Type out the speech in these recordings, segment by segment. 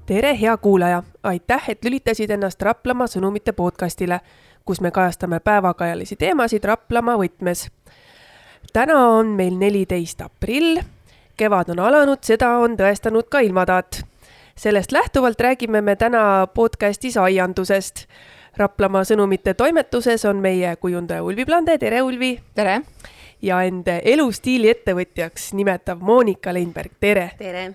Tere, hea kuulaja! Aitäh, et lülitasid ennast Raplamaa sõnumite podcastile, kus me kajastame päevakajalisi teemasid Raplamaa võtmes. Täna on meil 14. aprill. Kevad on alanud, seda on tõestanud ka ilmataat. Sellest lähtuvalt räägime me täna podcastis aiandusest. Raplamaa sõnumite toimetuses on meie kujundaja Ulvi Plande. Tere, Ulvi! Tere! Ja enda elustiili ettevõtjaks nimetav Monika Leinberg. Tere! Tere!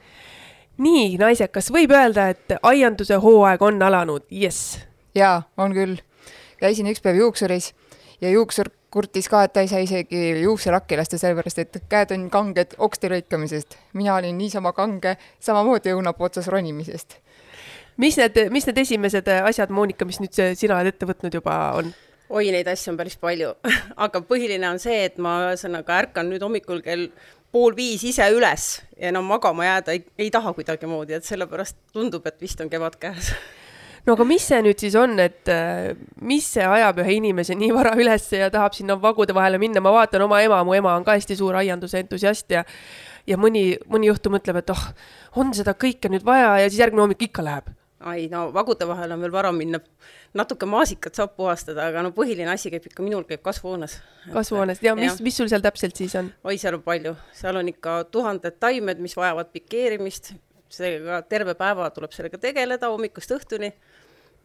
Nii, naised, kas võib öelda, et aianduse hooaeg on alanud? Yes! Jaa, on küll. Käisin üks päev juuksuris ja juuksur kurtis ka, et ta ei saa isegi juukselakki lasta sellepärast, et käed on kanged oksti lõikamisest. Mina olin niisama kange, samamoodi õunapuu otsas ronimisest. Mis need esimesed asjad, Monika, mis nüüd sina oled ette võtnud juba on? Oi, neid asju on päris palju. Aga põhiline on see, et ma ärkan nüüd hommikul kell 4:30 ise üles ja enam magama jääda ei taha kuidagi moodi, et sellepärast tundub, et vist on kevad käes. No aga mis see nüüd siis on, et mis see ajab ühe inimese nii vara üles ja tahab sinna vagude vahele minna? Ma vaatan oma ema, mu ema on ka hästi suur aianduse entusiast ja mõni juhtum mõtleb, et on seda kõike nüüd vaja ja siis järgmine hommik ikka läheb. Ai, no vagude vahel on veel vara minna, natuke maasikat saab puhastada, aga no põhiline asi käib ikka minul käib kasvuhoones. Kasvuhoones, ja mis sul seal täpselt siis on? Oi, seal on palju. Seal on ikka 1000 taimed, mis vajavad pikeerimist. Seega terve päeva tuleb sellega tegeleda hommikust õhtuni.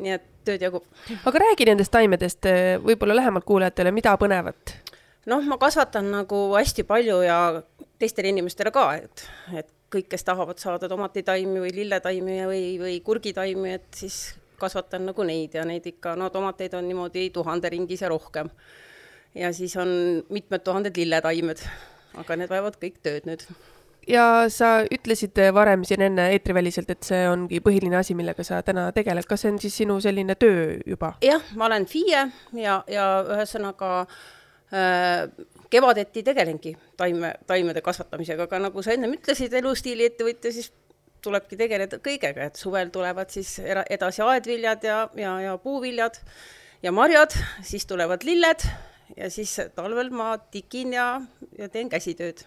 Nii et tööd jagub. Aga räägi nendest taimedest võib-olla lähemalt kuulajatele, mida põnevat? Noh, ma kasvatan nagu hästi palju ja teistele inimestele ka, et kõik, kes tahavad saada tomatitaimi või lilletaimi või kurgitaimi, et siis kasvatan nagu neid ja neid ikka, no tomateid on niimoodi 1000 ringis ja rohkem. Ja siis on mitmed 1000 lilletaimed, aga need vajavad kõik tööd nüüd. Ja sa ütlesid varem siin enne eetriväliselt, et see ongi põhiline asi, millega sa täna tegeled. Kas see on siis sinu selline töö juba? Jah, ma olen FIE ja ühesõnaga kevadeti tegelengi taimede kasvatamisega, aga nagu sa enne ütlesid, elustiili ettevõtja, siis tulebki tegeleda kõigega, et suvel tulevad siis edasi aedviljad ja puuviljad ja marjad, siis tulevad lilled ja siis talvel ma tikin ja teen käsitööd.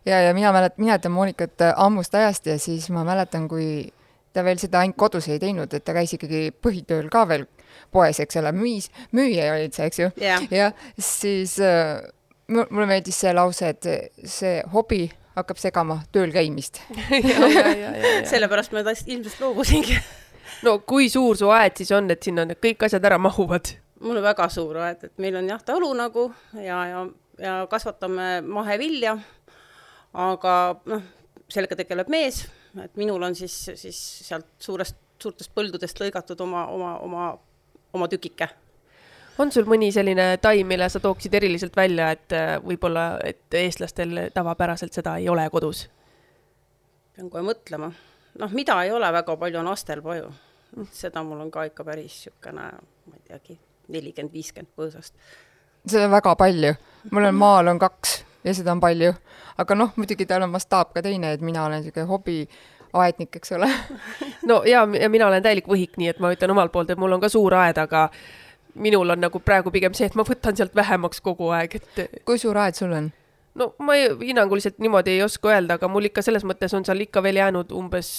Ja mina mäletan Moonikat ammust ajast ja siis ma mäletan, kui ta veel seda ainult kodus ei teinud, et ta käis ikkagi põhitööl ka veel poes, eks ole, müüja olid see, eks ju. Ja siis mulle meeldis see lause, et see hobi hakkab segama tööl käimist. Sellepärast ma ilmselt loobusingi. No kui suur su aed siis on, et sinna kõik asjad ära mahuvad? Mul on väga suur aed, et meil on talu nagu ja kasvatame mahevilja, aga sellega tegeleb mees, et minul on siis sealt suurtest põldudest lõigatud oma tükike. On sul mõni selline taim, mille sa tooksid eriliselt välja, et võib-olla et eestlastel tavapäraselt seda ei ole kodus? Pean kohe mõtlema. Mida ei ole väga palju on astelpaju. Seda mul on ka ikka päris siukene, ma ei teagi, 40-50 põõsast. Seda on väga palju. Mul on maal on 2 ja seda on palju. Aga muidugi tal on mastaab ka teine, et mina olen siuke hobi aednik, eks ole. No ja mina olen täielik võhik, nii et ma ütlen omalt poolt, et mul on ka suur aed, aga minul on nagu praegu pigem see, et ma võtan sealt vähemaks kogu aeg. Kui suur aed sul on? No ma hinnanguliselt niimoodi ei oska öelda, aga mul ikka selles mõttes on seal ikka veel jäänud umbes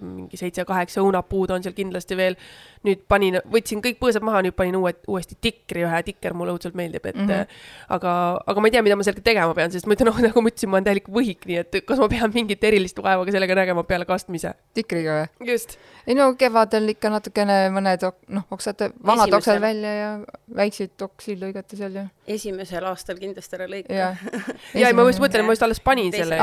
mingi 7-8 õunapuud on seal kindlasti veel. Nüüd võtsin kõik põõsad maha, nüüd panin uuesti tikri, ühe tikker mulle õudselt meeldib, et aga ma ei tea, mida ma sellega tegema pean, sest ma ütlen, nagu ma ütlesin, ma olen täielik võhik, nii et kas ma pean mingit erilist vaevaga sellega nägema peale kastmise? Tikriga või? Just. Ei kevadel ikka natukene mõned oksad, vanad oksad välja ja väikseid oksi lõigata seal ja. Esimesel aastal kindlasti ära lõika. Ja ma just mõtlen, ma just alles panin selle.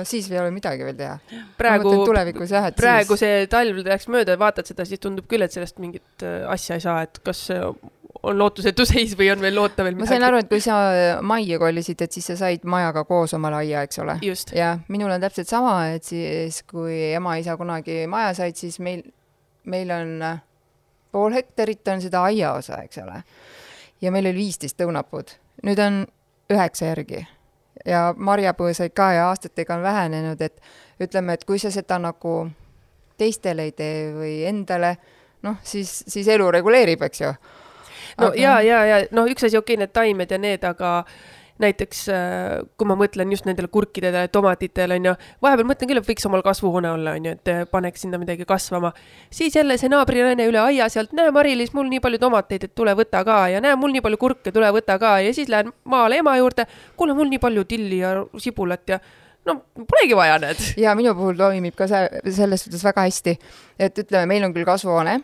Siis ei ole midagi veel teha. Praegu see talv läks mööda ja vaatad seda, siis tundub küll, et sellest mingit asja ei saa, et kas on lootusetu seis või on veel loota veel midagi. Ma sain aru, et kui sa majja kollisid, et siis sa said majaga koos oma aia, eks ole. Just. Ja minul on täpselt sama, et siis kui ema-isa kunagi maja said, siis meil on 0,5 hektarit on seda aia osa, eks ole. Ja meil oli 15 õunapuud. Nüüd on 9 järgi. Ja marjapõõsaid ka ja aastatega on vähenenud, et ütleme, et kui sa seda nagu teistele ei tee või endale, siis elu reguleerib, eks ju. No üks asi need taimed ja need, aga näiteks kui ma mõtlen just nendele kurkidele, tomatitele, on ju, vahepeal mõtlen küll, et võiks omal kasvuhoone olla, on ju, et paneks sinna midagi kasvama. Siis jälle see naabrilaine üle aia sealt, näe Mari-Liis, mul nii palju tomateid, et tule võta ka ja näe, mul nii palju kurke, tule võta ka ja siis lähen maale ema juurde, kuule, mul nii palju tilli ja sibulat ja no polegi vaja need. Ja minu puhul toimib ka selles suhtes väga hästi, et ütleme, meil on küll kasvuhoone,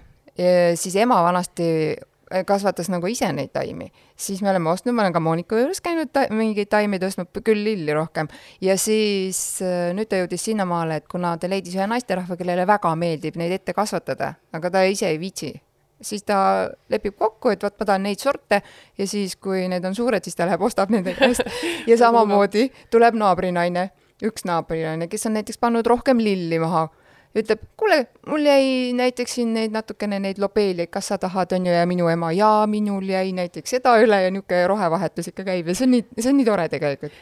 siis ema vanasti kasvatas nagu ise neid taimi. Siis me oleme ostnud, ma olen ka Moonika juures käinud mingeid taimi tõstnud, küll lilli rohkem. Ja siis nüüd ta jõudis sinnamaale, et kuna ta leidis ühe naisterahva, kellele väga meeldib neid ette kasvatada, aga ta ise ei viitsi. Siis ta lepib kokku, et ma tahan neid sorte ja siis, kui need on suured, siis ta läheb, ostab nende käest. Ja samamoodi tuleb naabrinaine, üks naabrinaine, kes on näiteks pannud rohkem lilli maha. Ütleb, kuule, mul jäi näiteks siin natukene neid lobeeliaid, kas sa tahad, on ju, ja minu ema, ja minul jäi näiteks seda üle ja niuke rohevahetus ikka käib ja see on nii tore tegelikult.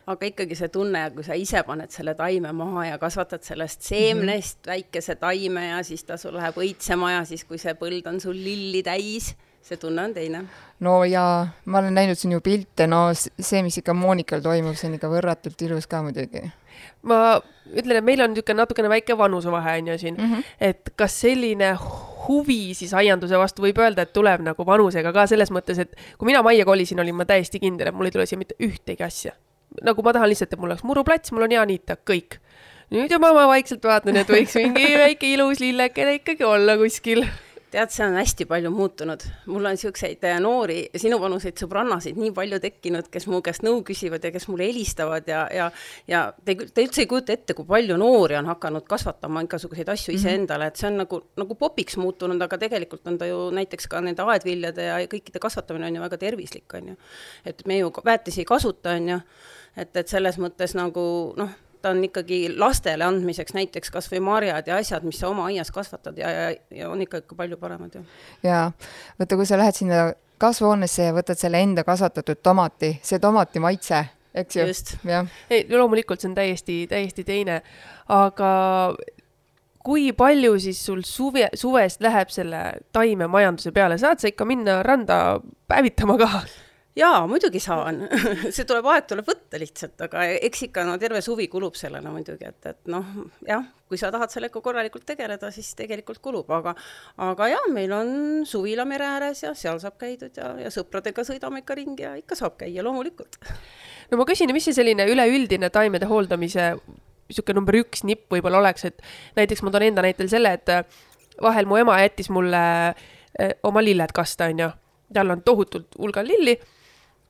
Aga ikkagi see tunne, kui sa ise paned selle taime maha ja kasvatad sellest seemnest väikese taime ja siis ta sul läheb õitsema ja siis, kui see põld on sul lilli täis, see tunne on teine. No ja ma olen näinud siin ju pilte, no see, mis ikka Moonikal toimub, see on ikka võrratult ilus ka muidugi. Ma ütlen, et meil on natukene väike vanusevahe on ju siin, et kas selline huvi siis aianduse vastu võib öelda, et tuleb nagu vanusega ka selles mõttes, et kui mina majja kolisin, olin ma täiesti kindel, et mul ei tule siia mitte ühtegi asja. Nagu ma tahan lihtsalt, et mul oleks muruplats, mul on hea niita, kõik. Nüüd juba ma vaikselt vaatan, et võiks mingi väike ilus lillekene ikkagi olla kuskil. Tead, see on hästi palju muutunud. Mul on siukseid noori, sinu vanuseid sõbrannasid nii palju tekkinud, kes mu käest nõu küsivad ja kes mulle helistavad ja te üldse ei kujuta ette, kui palju noori on hakanud kasvatama igasuguseid asju ise endale, et see on nagu popiks muutunud, aga tegelikult on ta ju näiteks ka nende aedviljade ja kõikide kasvatamine on ju väga tervislik, on ju. Et me ju väetisi ei kasuta, on ju, et selles mõttes nagu, noh, ta on ikkagi lastele andmiseks näiteks kas või marjad ja asjad, mis sa oma aias kasvatad ja on ikka palju paremad. Ja võtta, kui sa lähed sinna kasvuhoonesse ja võtad selle enda kasvatatud tomati, see tomati maitse, eks ju? Just. Ei, loomulikult see on täiesti teine, aga kui palju siis sul suvest läheb selle taime majanduse peale? Saad sa ikka minna randa päevitama ka? Jaa, muidugi saan. See aeg tuleb võtta lihtsalt, aga eks ikka terve suvi kulub sellele muidugi, et noh, jah, kui sa tahad sellega korralikult tegeleda, siis tegelikult kulub, aga jah, meil on suvila mere ääres ja seal saab käidud ja sõpradega sõidame ikka ringi ja ikka saab käia loomulikult. No ma küsin, mis see selline üleüldine taimede hooldamise niisugune number 1 nipp võib-olla oleks, et näiteks ma toon enda näitel selle, et vahel mu ema jättis mulle oma lilled kasta, on ju. Tal on tohutult hulgal lilli.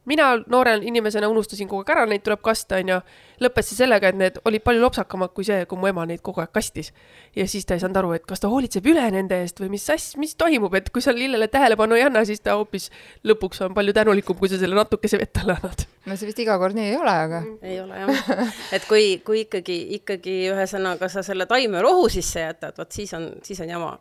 Mina noore inimesena unustasin kogu aeg ära, neid tuleb kasta, on ju. Lõppes see sellega, et need olid palju lopsakamad kui see, kui mu ema neid kogu aeg kastis. Ja siis ta ei saanud aru, et kas ta hoolitseb üle nende eest või mis toimub, et kui sa lillele tähelepanu ei anna, siis ta hoopis lõpuks on palju tänulikum, kui sa selle natukese vett alla annad. No see vist iga kord nii ei ole, aga... Ei ole, jah. Et kui ikkagi ühesõnaga sa selle taime rohu sisse jätad, võt siis on jama.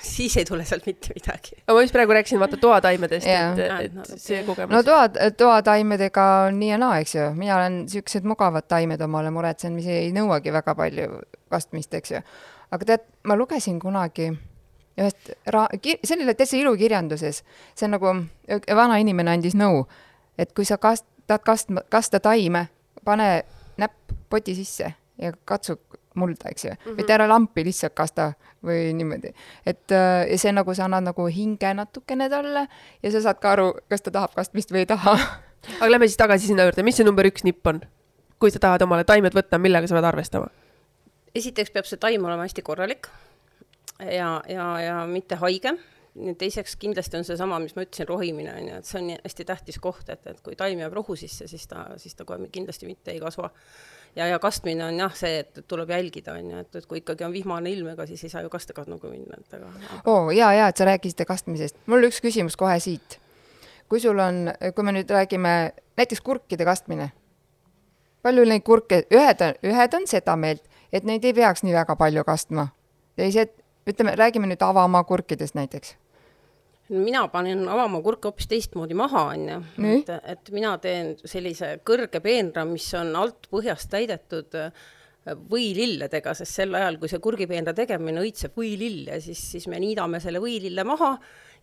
Siis ei tule sealt mitte midagi. Ma just praegu rääkisin vaata toataimedest, et see kogemus. No toataimedega on nii ja naa, eks ju. Mina olen siuksed mugavad taimed omale muretsen, mis ei nõuagi väga palju kastmist, eks ju. Aga tead, ma lugesin kunagi ühest sellele täitsa ilukirjanduses. See on nagu vana inimene andis nõu, et kui sa kasta taime, pane näpp poti sisse ja katsu mulda, eks ju. Või ära lampi lihtsalt kasta või niimoodi. Et see nagu sa annad nagu hinge natukene talle ja sa saad ka aru, kas ta tahab kastmist või ei taha. Aga lähme siis tagasi sinna juurde. Mis see number 1 nipp on? Kui sa tahad omale taimed võtta, millega sa pead arvestama? Esiteks peab see taim olema hästi korralik ja mitte haige. Teiseks kindlasti on see sama, mis ma ütlesin, rohimine, et see on hästi tähtis koht, et kui taim jääb rohu sisse, siis ta kohe kindlasti mitte ei kasva. Ja kastmine on jah see, et tuleb jälgida, et kui ikkagi on vihmane ilmega, siis ei saa ju kastega nagu minna. Et sa rääkisite kastmisest. Mul üks küsimus kohe siit. Kui me nüüd räägime näiteks kurkide kastmine, palju neid kurke, ühed on seda meelt, et neid ei peaks nii väga palju kastma. Teised, räägime nüüd avamaa kurkidest näiteks. Mina panen avamaa kurke hoopis teistmoodi maha, et mina teen sellise kõrge peenra, mis on alt põhjast täidetud võililledega, sest sel ajal, kui see kurgipeenra tegemine õitseb võilill ja siis me niidame selle võilille maha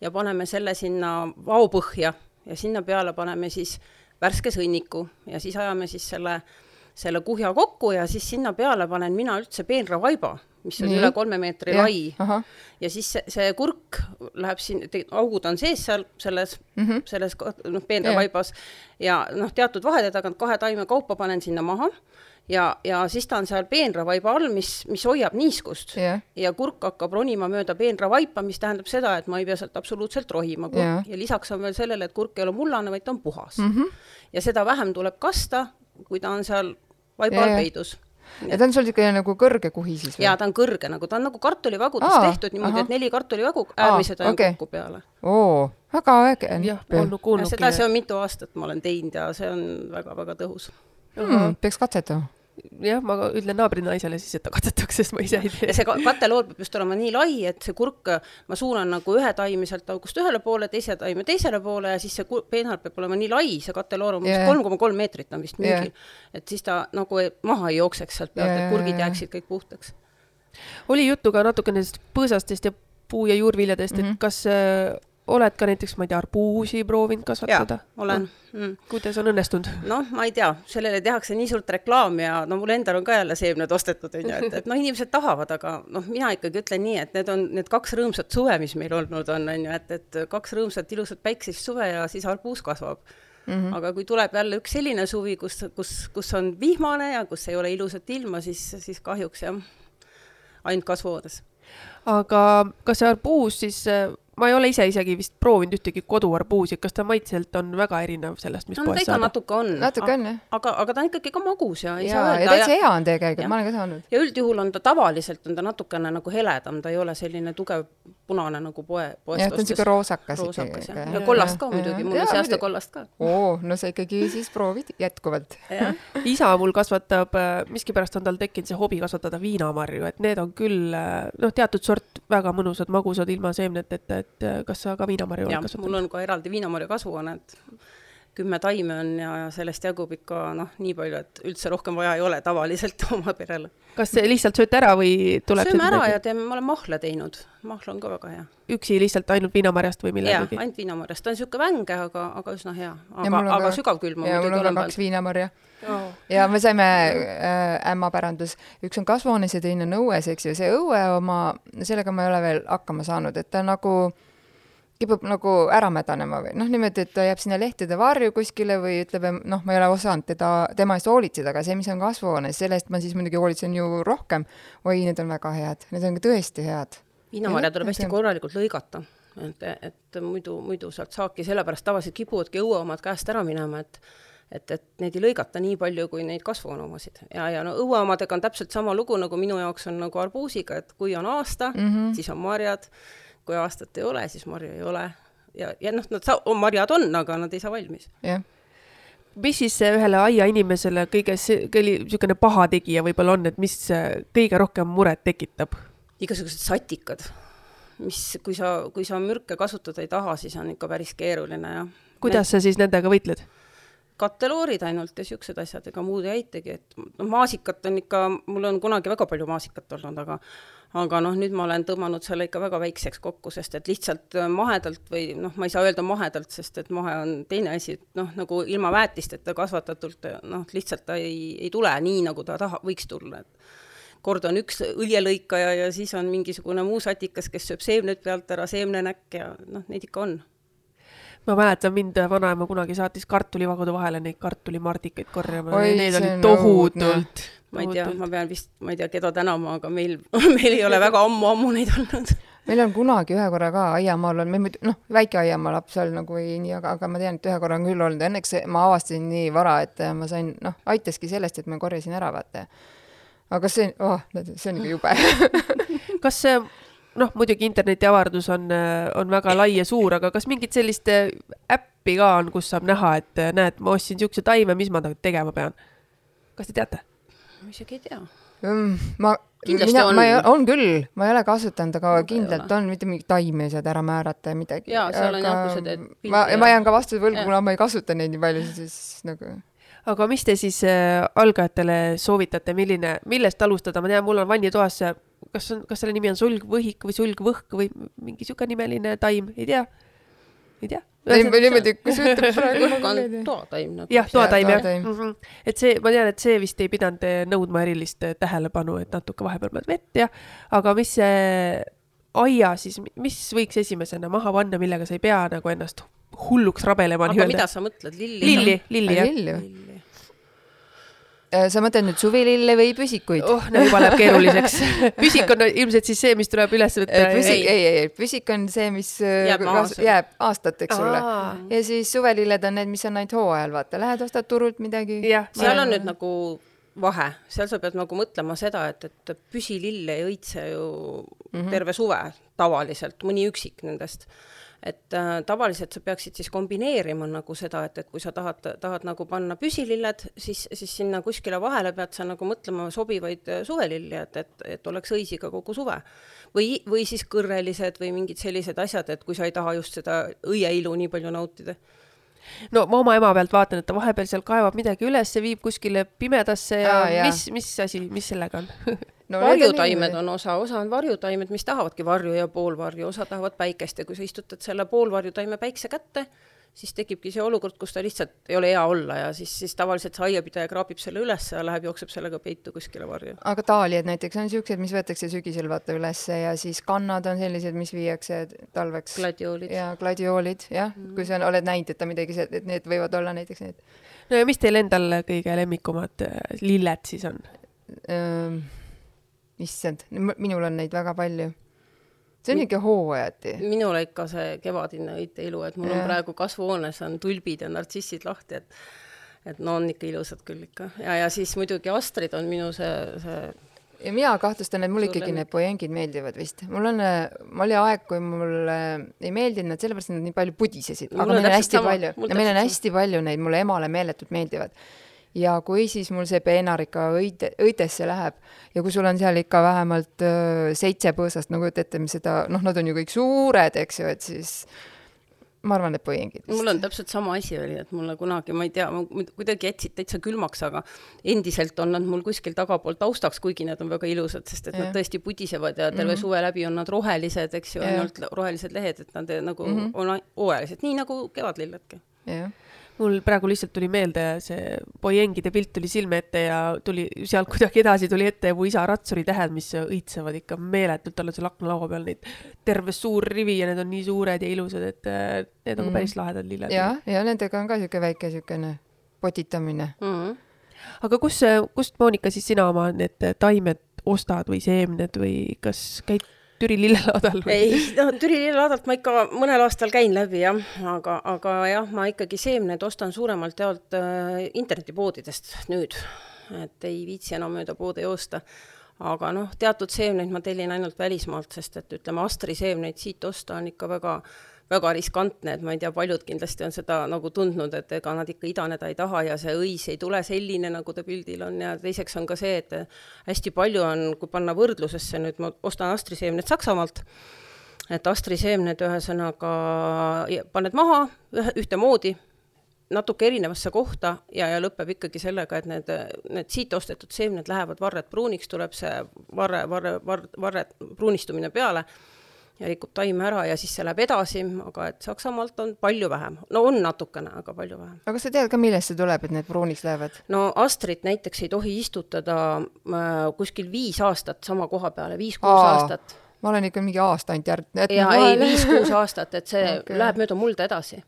ja paneme selle sinna vaopõhja ja sinna peale paneme siis värske sõnniku ja siis ajame siis selle kuhja kokku ja siis sinna peale panen mina üldse peenravaiba, mis on üle 3 meetri lai. Ja siis see kurk läheb siin, augud on sees seal selles peenravaibas ja teatud vahede tagant 2 taime kaupa panen sinna maha ja siis ta on seal peenravaiba all, mis hoiab niiskust ja kurk hakkab ronima mööda peenravaipa, mis tähendab seda, et ma ei pea sealt absoluutselt rohima ja lisaks on veel sellele, et kurk ei ole mullane, vaid ta on puhas. Ja seda vähem tuleb kasta, kui ta on seal vaiba all peidus. Ja ta on sul ikka nagu kõrge kuhi siis või? Jaa, ta on kõrge, ta on nagu kartulivagudest tehtud niimoodi, et 4 kartulivagu äärmised on kokku peale. Väga äge. Seda see on mitu aastat ma olen teinud ja see on väga-väga tõhus. Peaks katsetama. Jah, ma ütlen naabrinaisele siis, et ta katsetaks, sest ma ise ei tea. Ja see kateloor peab just olema nii lai, et see kurk, ma suunan nagu ühe taimi sealt august ühele poole, teise taimi teisele poole ja siis see peenhal peab olema nii lai, see kateloor on 3,3 meetrit on vist müügil, et siis ta nagu maha ei jookseks sealt pealt, et kurgid jääksid kõik puhtaks. Oli juttu ka natuke nendest põõsastest ja puu- ja juurviljadest, et kas oled ka näiteks, ma ei tea, arbuusi proovinud kasvatada? Jaa, olen. Kuidas on õnnestunud? Ma ei tea, sellele tehakse nii suurt reklaam ja mul endal on ka jälle seemned ostetud, et inimesed tahavad, aga mina ikkagi ütlen nii, et need on need 2 rõõmsat suve, mis meil olnud on, et 2 rõõmsat ilusat päiksist suve ja siis arbuus kasvab. Aga kui tuleb jälle üks selline suvi, kus on vihmane ja kus ei ole ilusat ilma, siis kahjuks jah, ainult kasvuhoones. Aga kas see arbuus siis... Ma ei ole isegi vist proovinud ühtegi koduarbuusi, kas ta maitselt on väga erinev sellest, mis poes saada? Natuke on, aga ta on ikkagi ka magus ja ei saa öelda. Ja täitsa hea on tegelikult, ma olen ka saanud. Ja üldjuhul on ta tavaliselt on ta natukene nagu heledam, ta ei ole selline tugev punane nagu poest ostes. Ja ta on siuke roosakas. Ja kollast ka muidugi, mul on see aasta kollast ka. No sa ikkagi siis proovid jätkuvalt. Isa mul kasvatab, miskipärast on tal tekkinud see hobi kasvatada viinamarju, et need on küll teatud sort väga mõnusad, magusad ilma seemnet, et kas sa ka viinamarju oled kasvatanud? Mul on ka eraldi viinamarju kasvuhoone, et 10 taime on ja sellest jagub ikka nii palju, et üldse rohkem vaja ei ole tavaliselt oma perele. Kas lihtsalt sööte ära või tuleb... Sööme ära ja ma olen mahla teinud. Mahla on ka väga hea. Üksi lihtsalt ainult viinamarjast või millegagi? Jah, ainult viinamarjast. Ta on siuke vänge, aga üsna hea. Aga sügavkülma. Ja mul on 2 viinamarja. Ja me saime ämmapärandus. Üks on kasvuhoones ja teine on õues, eks ju. See õue oma, sellega ma ei ole veel hakkama saanud, et ta nagu kipub nagu ära mädanema või niimoodi, et ta jääb sinna lehtede varju kuskile või ütleb, ma ei ole osanud tema eest hoolitseda, aga see, mis on kasvuhoones, sellest ma siis muidugi hoolitsen ju rohkem. Need on väga head, need on tõesti head. Viinamarja tuleb hästi korralikult lõigata, et muidu sealt saaki, sellepärast tavaliselt kipuvadki õueomad käest ära minema, et neid ei lõigata nii palju, kui neid kasvuhooneomasid. Ja õueomadega on täpselt sama lugu, nagu minu jaoks on nagu arbuusiga, et kui on aasta, siis on marjad. Kui aastat ei ole, siis marja ei ole. Ja marjad on, aga nad ei saa valmis. Mis siis ühele aia inimesele kõige niisugune paha tegija võib-olla on, et mis kõige rohkem muret tekitab? Igasugused satikad. Kui sa mürke kasutada ei taha, siis on ikka päris keeruline. Ja kuidas sa siis nendega võitled? Kateloorid ainult ja siuksed asjad, ega muud ei aitegi. Maasikat on ikka, mul on kunagi väga palju maasikat olnud, aga nüüd ma olen tõmmanud selle ikka väga väikseks kokku, sest et lihtsalt mahedalt või ma ei saa öelda mahedalt, sest et mahe on teine asi, nagu ilma väetisteta kasvatatult, lihtsalt ta ei tule nii, nagu ta võiks tulla. Kord on üks õljelõikaja ja siis on mingisugune muu satikas, kes sööb seemned pealt ära, seemnenäkk ja neid ikka on. Ma mäletan, mind vanaema kunagi saatis kartulivagude vahele neid kartulimardikaid korjama. Need olid tohutult. Ma ei tea, ma pean vist, ma ei tea, keda tänama, aga meil ei ole väga ammu neid olnud. Meil on kunagi ühe korra ka aiamaal on, väike aiamaa laps all nagu ei nii, aga ma tean, et ühe korra on küll olnud. Õnneks ma avastasin nii vara, et ma sain, aitaski sellest, et ma korjasin ära vaata. Aga see on ikka jube. Kas see muidugi interneti avardus on väga lai ja suur, aga kas mingit sellist äppi ka on, kus saab näha, et näed, ma ostsin siukse taime, mis ma tegema pean? Kas te teate? Ma isegi ei tea. On küll, ma ei ole kasutanud, aga kindlalt on, mitte mingi taime saad ära määrata ja midagi. Jaa, seal on jah, kui sa teed pildi. Ma jään ka vastu võlgu, kuna ma ei kasuta neid nii palju, siis nagu... Aga mis te siis algajatele soovitate, millest alustada? Ma tean, mul on vannitoas, kas selle nimi on sulgvõhik või sulgvõhk või mingi siuke nimeline taim, ei tea? ei tea. Niimoodi, kus ütleb praegu. Kurk on toataim. Jah, toataim, jah. toataim. Et see, ma tean, et see vist ei pidanud nõudma erilist tähelepanu, et natuke vahepeal pead vett ja, aga mis see aia siis, mis võiks esimesena maha panna, millega sa ei pea nagu ennast hulluks rabelema? Aga mida sa mõtled? Lilli, jah. Lilli. Sa mõtled nüüd suvilille või püsikuid? No juba läheb keeruliseks. Püsik on ilmselt siis see, mis tuleb üles võtta. Püsik on see, mis jääb aastateks sulle. Ja siis suvelilled on need, mis on ainult hooajal, vaata. Lähed ostad turult midagi. Seal on nüüd nagu vahe. Seal sa pead nagu mõtlema seda, et püsilill ei õitse ju terve suve tavaliselt, mõni üksik nendest. Et tavaliselt sa peaksid siis kombineerima nagu seda, et kui sa tahad nagu panna püsililled, siis sinna kuskile vahele pead sa nagu mõtlema sobivaid suvelilli, et oleks õisiga kogu suve. Või siis kõrrelised või mingid sellised asjad, et kui sa ei taha just seda õieilu nii palju nautida. No ma oma ema pealt vaatan, et ta vahepeal seal kaevab midagi üles, viib kuskile pimedasse ja mis asi, mis sellega on? No, varjutaimed on osa on varjutaimed, mis tahavadki varju ja poolvarju, osa tahavad päikest ja kui sa istutad selle poolvarjutaime päikse kätte, siis tekibki see olukord, kus ta lihtsalt ei ole hea olla ja siis tavaliselt see aiapidaja kraabib selle üles ja läheb, jookseb sellega peitu kuskile varju. Aga taaliad näiteks on siuksed, mis võetakse sügisel vaata ülesse ja siis kannad on sellised, mis viiakse talveks. Gladioolid. Ja gladioolid, jah. Kui sa oled näinud, et ta midagi, et need võivad olla näiteks need. No ja mis teil endal kõige lemmikumad lilled siis on? Issand, minul on neid väga palju. See on ikka hooajati. Minule ikka see kevadine õiteilu, et mul on praegu kasvuhoones on tulbid ja nartsissid lahti, et no on ikka ilusad küll ikka. Ja siis muidugi astrid on minu see... Ja mina kahtlustan, et mul ikkagi need poengid meeldivad vist. Mul oli aeg, kui mul ei meeldinud, sellepärast nad nii palju pudisesid. Aga meil on hästi palju. Ja meil on hästi palju neid, mulle emale meeletult meeldivad. Ja kui siis mul see peenarika õitesse läheb ja kui sul on seal ikka vähemalt 7 põõsast, nagu ette seda, nad on ju kõik suured, eks ju, et siis ma arvan, et poengid. Mul on täpselt sama asi oli, et mulle kunagi, ma ei tea, kuidagi jätsid täitsa külmaks, aga endiselt on nad mul kuskil tagapool taustaks, kuigi need on väga ilusad, sest et nad tõesti pudisevad ja terve suve läbi on nad rohelised, eks ju, ainult rohelised lehed, et nad nagu on hooajalised, nii nagu kevadlilledki. Jah. Mul praegu lihtsalt tuli meelde see poiengide pilt tuli silme ette ja tuli sealt kuidagi edasi tuli ette mu isa ratsuri tähed, mis õitsevad ikka meeletult, tal on seal aknalaua peal neid terve suur rivi ja need on nii suured ja ilusad, et need on päris lahedad lilled. Ja nendega on ka siuke väike siukene potitamine. Aga kust Moonika siis sina oma need taimed ostad või seemned või kas käid Türi lillelaadal? Ei, Türi lillelaadalt ma ikka mõnel aastal käin läbi, jah. Aga jah, ma ikkagi seemned ostan suuremalt jaolt internetipoodidest nüüd, et ei viitsi enam mööda poode joosta. Aga teatud seemneid ma tellin ainult välismaalt, sest et ütleme, Astri seemneid siit osta on ikka väga riskantne, et ma ei tea, paljud kindlasti on seda nagu tundnud, et ega nad ikka idaneda ei taha ja see õis ei tule selline, nagu ta pildil on ja teiseks on ka see, et hästi palju on, kui panna võrdlusesse, nüüd ma ostan Astri seemned Saksamaalt, et Astri seemned ühesõnaga paned maha ühtemoodi, natuke erinevasse kohta ja lõpeb ikkagi sellega, et need siit ostetud seemned lähevad varred pruuniks, tuleb see varre pruunistumine peale ja rikub taime ära ja siis see läheb edasi, aga et Saksamaalt on palju vähem. No on natukene, aga palju vähem. Aga sa tead ka, millest see tuleb, et need pruuniks lähevad? No Astrit näiteks ei tohi istutada kuskil 5 aastat sama koha peale, 5-6 aastat. Ma olen ikka mingi aasta ainult Ja ei, 5-6 aastat, et see läheb mööda mulda edasi.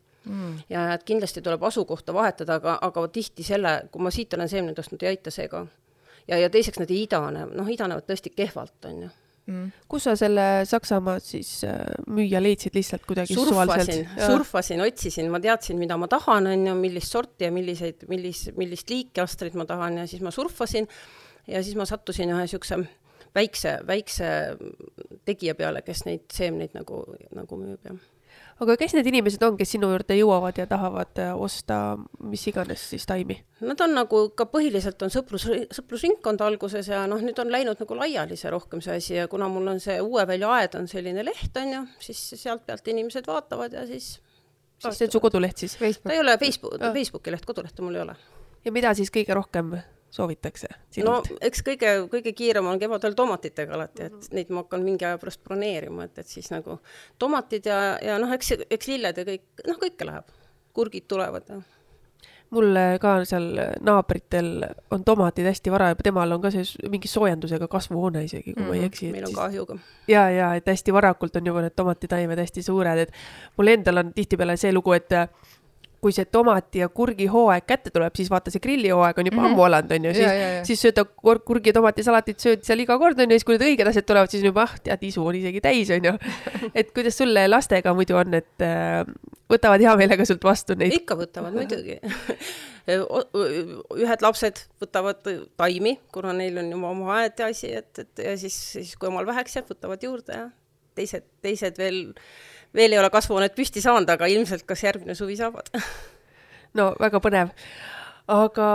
Ja et kindlasti tuleb asukohta vahetada, aga tihti selle, kui ma siit olen seemned ostnud, ei aita see ka. Ja teiseks nad ei idane, idanevad tõesti kehvalt, on ju. Kus sa selle Saksamaa siis müüja leidsid lihtsalt kuidagi surfasin, otsisin, ma teadsin, mida ma tahan, on ju, millist sorti ja millist liiki Astrid ma tahan ja siis ma surfasin ja siis ma sattusin ühe siukse väikse tegija peale, kes neid seemneid nagu müüb. Aga kes need inimesed on, kes sinu juurde jõuavad ja tahavad osta mis iganes siis taimi? Nad on nagu ka põhiliselt on sõprusringkond alguses ja nüüd on läinud nagu laiali see rohkem see asi ja kuna mul on see Uue Välja aed on selline leht, on ju, siis sealt pealt inimesed vaatavad ja siis... See on su koduleht siis? Ta ei ole Facebooki leht, kodulehte mul ei ole. Ja mida siis kõige rohkem soovitakse no sinult? eks kõige kiirem on kevadel tomatitega alati, et neid ma hakkan mingi aja pärast broneerima, et siis nagu tomatid ja noh, eks lilled ja kõike läheb. Kurgid tulevad ja Mul ka seal naabritel on tomatid hästi vara ja temal on ka see mingi soojendusega kasvuhoone isegi, kui ma ei eksi. Meil on kahjuga. Ja, et hästi varakult on juba need tomatitaimed hästi suured, et mul endal on tihtipeale see lugu, et kui see tomati ja kurgi hooaeg kätte tuleb, siis vaata see grilli hooaeg on juba ammu alanud, on ju, siis sööda kurgi ja tomatisalatit sööd seal iga kord, on ju, siis kui need õiged asjad tulevad, siis juba, tead, isu on isegi täis, on ju. Et kuidas sulle lastega muidu on, et võtavad hea meelega sult vastu neid? Ikka võtavad, muidugi. Ühed lapsed võtavad taimi, kuna neil on juba oma aed ja asi, ja siis kui omal väheks jääb, võtavad juurde ja teised veel ei ole kasvuhoonet püsti saanud, aga ilmselt kas järgmine suvi saavad. No väga põnev. Aga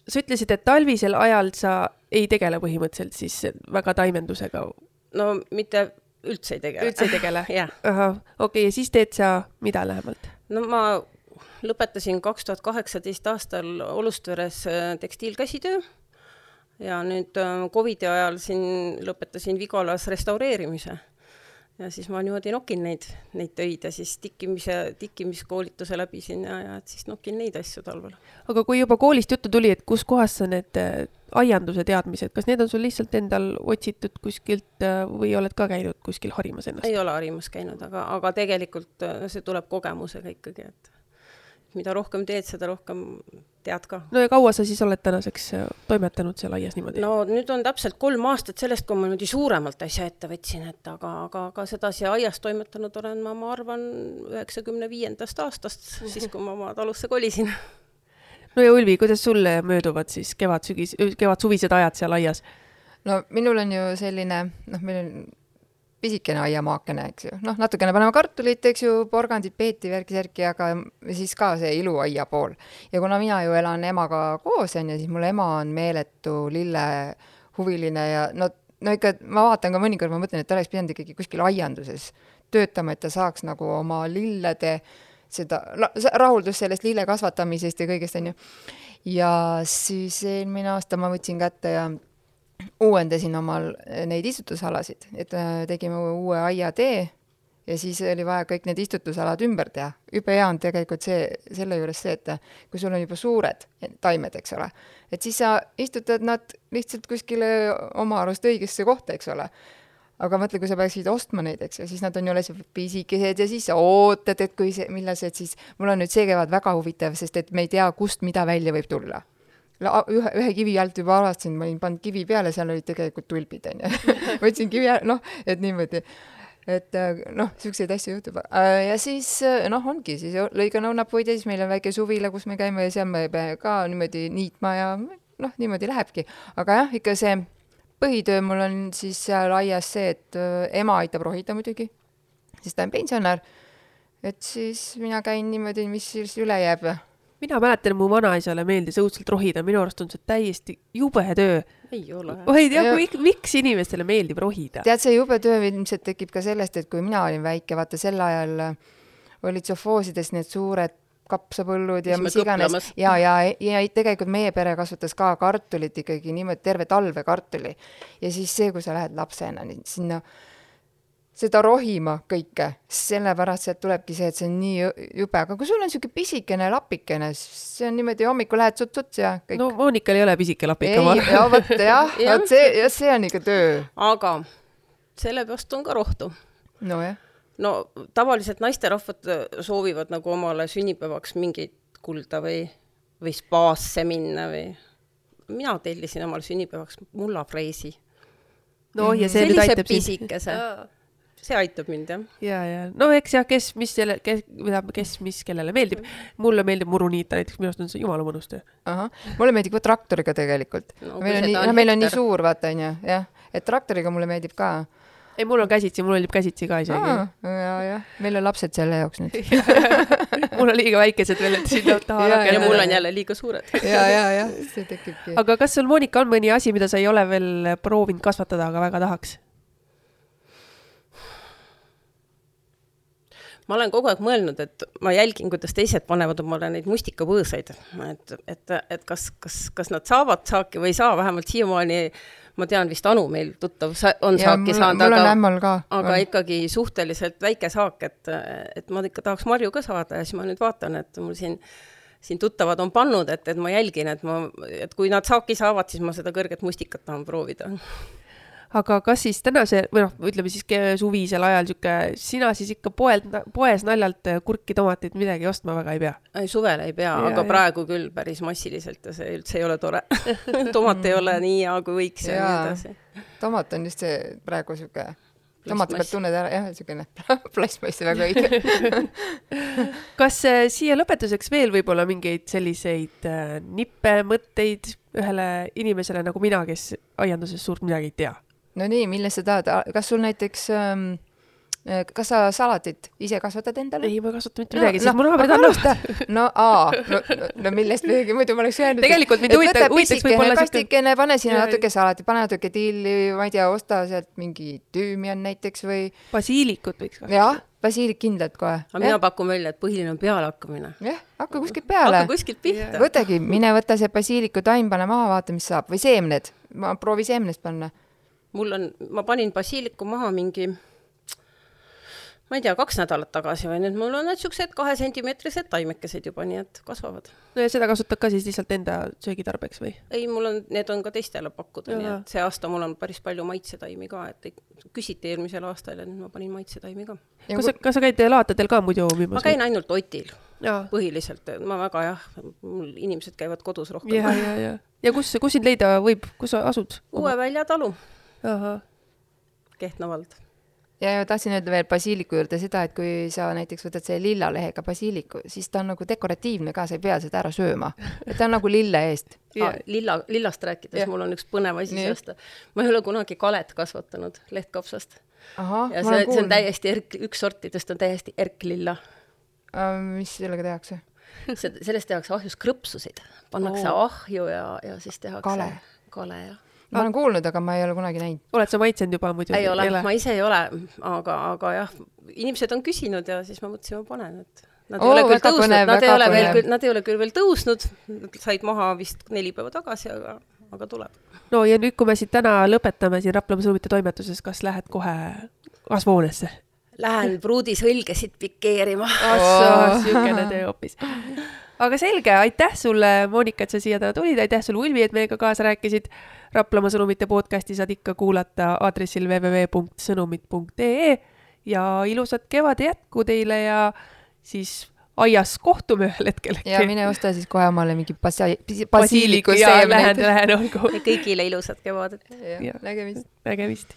sa ütlesid, et talvisel ajal sa ei tegele põhimõtteliselt siis väga taimendusega? No mitte üldse ei tegele. Üldse ei tegele? Jah. Okei, ja siis teed sa mida lähemalt? No ma lõpetasin 2018 aastal Olustveres tekstiilkäsitöö ja nüüd COVID-i ajal siin lõpetasin Vigalas restaureerimise. Ja siis ma niimoodi nokin neid töid ja siis tikkimiskoolituse läbisin ja siis nokin neid asju talvel. Aga kui juba koolist juttu tuli, et kus kohas sa need aianduse teadmised, kas need on sul lihtsalt endal otsitud kuskilt või oled ka käinud kuskil harimas ennast? Ei ole harimas käinud, aga tegelikult see tuleb kogemusega ikkagi, et mida rohkem teed, seda rohkem tead ka. No ja kaua sa siis oled tänaseks toimetanud seal aias niimoodi? No nüüd on täpselt 3 aastat sellest, kui ma niimoodi suuremalt asja ette võtsin, et aga sedasi aias toimetanud olen ma arvan 95. aastast, siis kui ma oma talusse kolisin. No ja Ulvi, kuidas sulle mööduvad siis kevad-suvised ajad seal aias? No minul on ju selline, meil on pisikene aiamaakene, eks ju. Natukene paneme kartulit, eks ju, porgandid, peeti, värki, aga siis ka see iluaia pool. Ja kuna mina ju elan emaga koos, siis mul ema on meeletu lille huviline ja no ikka ma vaatan ka mõnikord, ma mõtlen, et ta oleks pidanud ikkagi kuskil aianduses töötama, et ta saaks nagu oma lillede seda rahuldus sellest lille kasvatamisest ja kõigest, on ju. Ja siis eelmine aasta ma võtsin kätte ja uuendasin omal neid istutusalasid, et tegime uue aiatee ja siis oli vaja kõik need istutusalad ümber teha. Juba hea on tegelikult selle juures see, et kui sul on juba suured taimed, eks ole, et siis sa istutad nad lihtsalt kuskile oma arust õigesse kohta, eks ole. Aga mõtle, kui sa peaksid ostma neid, eks, ja siis nad on ju alles pisikesed ja siis sa ootad, et kui millased siis, mul on nüüd see kevad väga huvitav, sest et me ei tea, kust mida välja võib tulla. Ühe kivi alt juba avastasin, ma olin pannud kivi peale, seal olid tegelikult tulbid, on ju. Võtsin kivi, et niimoodi. Et siukseid asju juhtub. Ja siis, ongi, siis lõigan õunapuid ja siis meil on väike suvila, kus me käime ja seal me ka niimoodi niitma ja niimoodi lähebki. Aga jah, ikka see põhitöö mul on siis seal aias see, et ema aitab rohida muidugi, siis ta on pensionär. Et siis mina käin niimoodi, mis siis üle jääb. Mina mäletan, mu vanaisale meeldis õudselt rohida, minu arust on see täiesti jube töö. Ei ole. Ma ei tea, miks inimestele meeldib rohida? Tead, see jube töö ilmselt tekib ka sellest, et kui mina olin väike, vaata sel ajal olid sofoosides need suured kapsapõllud ja mis iganes. Ja tegelikult meie pere kasvatas ka kartulit ikkagi niimoodi terve talve kartuli. Ja siis see, kui sa lähed lapsena sinna seda rohima kõike, sellepärast sealt tulebki see, et see on nii jube, aga kui sul on siuke pisikene lapikene, see on niimoodi hommikul lähed suts ja kõik. No Moonikal ei ole pisike lapike. See on ikka töö. Aga sellepärast on ka rohtu. No jah. No tavaliselt naisterahvad soovivad nagu omale sünnipäevaks mingit kulda või spaasse minna või mina tellisin omale sünnipäevaks mullafreesi. No ja see nüüd aitab pisikese. See aitab mind, jah. Ja. No eks jah, kes mis kellele meeldib. Mulle meeldib muruniita, näiteks minu arust on see jumala mõnus töö. Mulle meeldib ka traktoriga tegelikult. No, meil on nii suur, vaata, on ju. Jah, et traktoriga mulle meeldib ka. Ei, mul on käsitsi, mul meeldib käsitsi ka isegi. Ja. Meil on lapsed selle jaoks nüüd. Mul on liiga väikesed veel, et siin taha ja mul on jälle liiga suured. Ja, see tekibki. Aga kas sul, Moonika, on mõni asi, mida sa ei ole veel proovinud kasvatada, aga väga tahaks? ma olen kogu aeg mõelnud, et ma jälgin, kuidas teised panevad omale neid mustikapõõsaid, et kas nad saavad saaki või ei saa, vähemalt siiamaani ma tean vist Anu meil tuttav on saaki saanud, aga ikkagi suhteliselt väike saak, et ma ikka tahaks marju ka saada ja siis ma nüüd vaatan, et mul siin tuttavad on pannud, et ma jälgin, et kui nad saaki saavad, siis ma seda kõrget mustikat tahan proovida. Aga kas siis tänase, või ütleme siis suvisel ajal sina siis ikka poes naljalt kurki, tomateid midagi ostma väga ei pea? Suvel ei pea, aga praegu küll päris massiliselt ja see üldse ei ole tore. Tomat ei ole nii hea, kui võiks ja nii edasi. Tomat on just see praegu siuke, tomati pealt tunned ära, jah, siukene plastmassi väga õige. Kas siia lõpetuseks veel võib-olla mingeid selliseid nippe, mõtteid ühele inimesele nagu mina, kes aianduses suurt midagi ei tea? No nii, millest sa tahad? Kas sul näiteks, kas sa salatit ise kasvatad endale? Ei, ma ei kasvata mitte midagi, sest mu naabrid on nõusta. No millest midagi muidu ma oleks jäänud. Tegelikult mind uitaks võib-olla kastikene, pane sinna natuke salati, pane natuke tilli, ma ei tea, osta sealt mingi tüümian näiteks või... Basiilikut võiks kasvatada. Jah, basiilik kindlalt kohe. Aga mina pakun välja, et põhiline on peale hakkamine. Jah, hakka kuskilt peale. Hakka kuskilt pihta. Võtagi, mine võtta see basiiliku taim, pane maha, vaata, mis saab. Või seemned. Ma proovi seemnest panna. Ma panin basiiliku maha mingi, ma ei tea, 2 nädalat tagasi või nüüd mul on need siuksed 2-sentimeetrised taimekesed juba, nii et kasvavad. No ja seda kasutad ka siis lihtsalt enda söögitarbeks või? Ei, need on ka teistele pakkuda, nii et see aasta mul on päris palju maitsetaimi ka, et küsiti eelmisel aastal ja nüüd ma panin maitsetaimi ka. Kas sa käid laatadel ka muidu omimas? Ma käin ainult Otil, põhiliselt. Ma väga mul inimesed käivad kodus rohkem. Ja kus sind leida võib? Kus sa asud? Uue Välja talu. Aha. Kehtna vald. Ja tahtsin öelda veel basiiliku juurde seda, et kui sa näiteks võtad see lilla lehega basiiliku, siis ta on nagu dekoratiivne ka, sa ei pea seda ära sööma. Et ta on nagu lille eest. Lillast rääkides, mul on üks põnev asi sellest. Ma ei ole kunagi kalet kasvatanud lehtkapsast. Ja see on täiesti üks sortidest on täiesti erklilla. Mis sellega tehakse? Sellest tehakse ahjus krõpsusid. Pannakse ahju ja siis tehakse kale ja ma olen kuulnud, aga ma ei ole kunagi näinud. Oled sa maitsenud juba muidu? Ei ole, ma ise ei ole, aga jah, inimesed on küsinud ja siis ma mõtlesin, ma panen, et nad ei ole küll veel tõusnud, said maha vist 4 päeva tagasi, aga tuleb. No ja nüüd, kui me siit täna lõpetame siin Raplamaa Sõnumite toimetuses, kas lähed kohe kasvuhoonesse? Lähen pruudisõlgesid pikeerima. Siukene töö hoopis. Aga selge, aitäh sulle, Monika, et sa siia täna tulid, aitäh sulle, Ulvi, et meiega kaasa rääkisid. Raplamaa Sõnumite podcasti saad ikka kuulata aadressil www.sõnumit.ee ja ilusat kevade jätku teile ja siis aias kohtume ühel hetkel. Ja mine osta siis kohe omale mingi basiiliku seemneid. Lähen olgu. Kõigile ilusat kevadet. Nägemist.